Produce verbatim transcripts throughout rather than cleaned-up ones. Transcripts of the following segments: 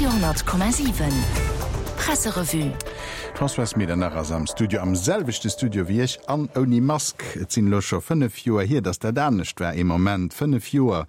Radio honnert Komma siwen Presserevue. D'Françoise Medernach ass am Studio, am selwechte Studio wéi ech an ouni Mask. Et sinn elo scho fënnef Joer hier, datt dat anescht war. Ee Moment, fënnef Joer!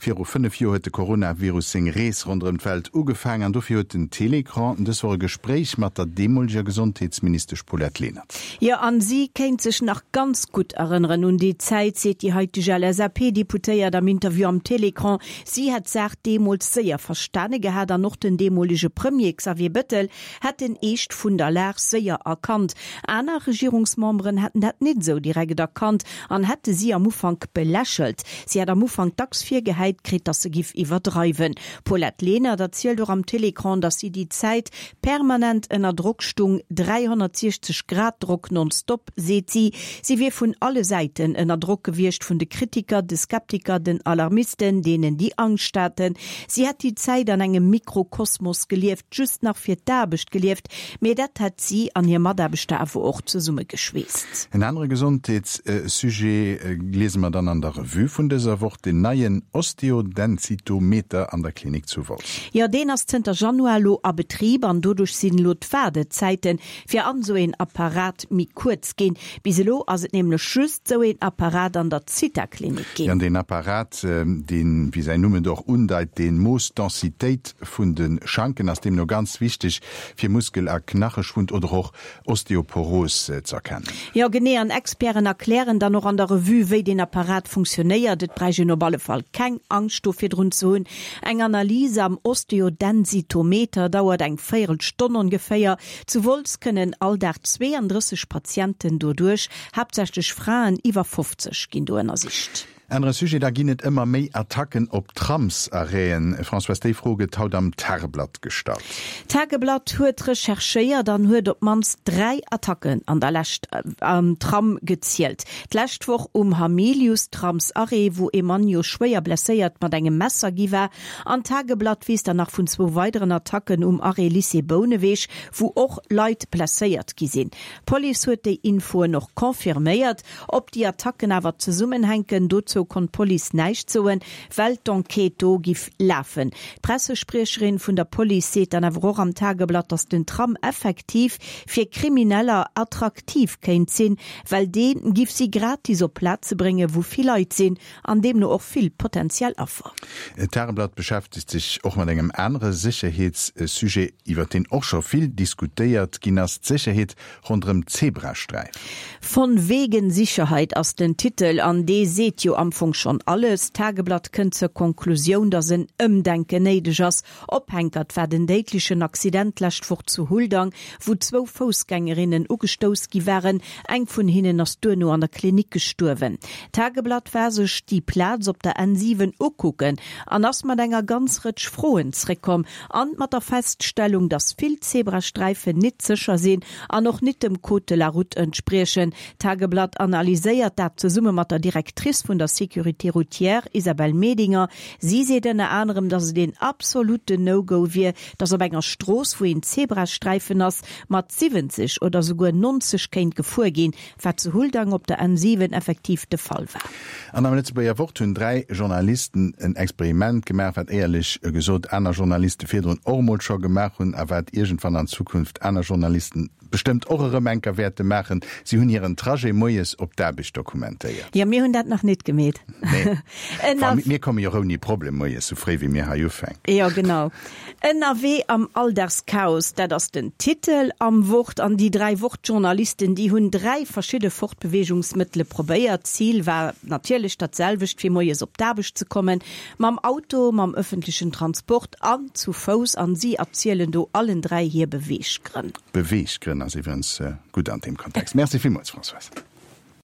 Viru fënnef Joer huet de Coronavirus seng Rees ronderëm d'Welt ugefaangen an dofir huet den Télécran dës Woch e Gespréich mat der deemoleger Gesondheetsministesch Paulette Lenert. Jo, an si kéint sech nach ganz gutt erënneren un déi Zäit, seet déi haiteg L S A P-Deputéiert am Interview am Télécran. Si hätt d'Saach deemools séier verstane gehat an och den deemolege Premier Xavier Bettel hätt den Eescht vun der Lag séier erkannt. Aner Regierungsmemberen hätten dat nit esou direkt erkannt an hätte si am Ufank belächelt. Si hätt am Ufank dacks virgehäit kritt, datt se giff iwwerdreiwen. D'Paulette Lenert erzielt och am Télécran, datt si déi Zäit permanent ënner Drock stung, dräihonnertsiechzeg Grad Drock nonstop, seet si. Si wier vun alle Säiten ënner Drock gewiescht, vun de Kritiker, de Skeptiker, den Alarmisten, deenen déi Angscht haten. Si hätt déi Zäit an engem Mikrokosmos gelieft, just nach fir d'Aarbecht gelieft, mee dat hätt si an hir Mataarbechter awer och zesummegeschweesst. En anere Gesondheetssujet liese mer dann an der Revue vun dëser Woch, den neien Osteodensitometer an der Klinik zu Wolz. Jo, deen ass zënter Januar elo a Betrib an doduerch sinn elo d'Waardezäite fir an esou een Apparat méi kuerz ginn. Bis elo ass et nämlech just esou een Apparat an der Zitha-Klinik Jo, ginn. an deen Apparat, deen, wéi säin Numm et och undeit, dee moosst d'Densitéit vun de Schanken, ass deemno ganz wichteg fir Muskel a Knacheschwund oder och Osteoporos z'erkennen. Jo, genee, an Experten erklären dann och an der Revue, wéi deen Apparat funktionéiert. Et bräicht een op alle Fall keng Angscht do virdrun ze hunn. Eng Analys am Osteodensitometer dauert eng Véierelstonn ongeféier. Zu Wolz kënnen all Dag zweeandrësseg Patienten doduerch, haaptsächlech Fraen iwwer fofzeg ginn do ënnersicht. Anere Sujet, da ginn et ëmmer méi Attacken op Tramsarrêten. Françoise, déi Fro gëtt haut am Tageblatt gestallt. D'Tageblatt huet recherchéiert an huet op d'mannst dräi Attacken an der Lescht am Tram gezielt. D'lescht Woch um Hamilius-Tramsarrêt, wou ee Mann jo schwéier blesséiert mat engem Messer gi war. An d'Tageblatt weess dann nach vun zwou weideren Attacken um Arrêt Lycée Bouneweg, wou och Leit blesséiert gi sinn. D'Police huet déi Infoen och confirméiert. Ob déi Attacken awer zesummenhänken, dozou konnt d'Police näischt soen, well d'Enquête do giff lafen. D'Pressespriecherin vun der Police seet dann awer och am Tageblatt, datt den Tram effektiv fir Krimineller attraktiv kéint sinn, well dee giff si gratis op Plaze bréngen, wou vill Leit sinn an deemno och vill potentiell Affer. D'Tageblatt beschäftegt sech och mat engem anere Sécherheetssujet, iwwer deen och scho vill diskutéiert ginn ass, d'Sécherheet ronderëm d'Zebrasträif. Von wegen Sicherheit ass den Titel an dee seet jo am Fong schonn alles. D'Tageblatt kënnt zur Konklusioun, datt en Ëmdenken néideg ass. Ophänkert war den déidlechen Accident d'lescht Woch zu Huldang, wou zwou Foussgängerinnen ugestouss gi waren. Eng vun hinnen ass duerno an der Klinik gestuerwen. D'Tageblatt war sech déi Plaz op der N siwen ukucken an ass mat enger ganz Rëtsch Froen zréckkomm an mat der Feststellung, datt vill Zebrasträifen nit sécher sinn an och nit dem Code de la route entspriechen. D'Tageblatt analyséiert dat zesumme mat der Directrice vun der Sécurité routière Isabelle Medinger. Si seet ënner anerem, datt et een absoluten No-Go wier, datt op enger Strooss, wou een Zebrasträifen ass, mat siwwenzeg oder souguer nonzeg kéint gefuer ginn, wat zu Huldang op der N siwen effektiv de Fall war. An am Lëtzebuerger Wort hunn dräi Journalisten en Experiment gemaach, wat éierlech gesot aner Journaliste virdrun och emol scho gemaach hunn a wat iergendwann an Zukunft aner Journalisten bestëmmt och erëm eng Kéier wäerte maachen, si hunn hiren Trajet moies op d'Aarbecht dokumentéiert. Jo, mir hunn dat nach net gemeet. Nee. Mir komme jo ouni Problem moies, sou fréi wéi mir hei ufänken. Jo, genau. Ënnerwee am Alldagschaos, dat ass den Titel am Wort. An déi dräi Wort-Journalisten, déi hunn dräi verschidde Fortbeweegungsmëttele probéiert. D'Zil war natierlech dat selwecht, fir moies op d'Aarbecht ze kommen. Mam Auto, mam ëffentlechen Transport an zu Fouss. An si erzielen do allen dräi hir Beweeggrënn. Beweeggrënn ass iwwregens gutt an deem Kontext. Merci villmools, Françoise.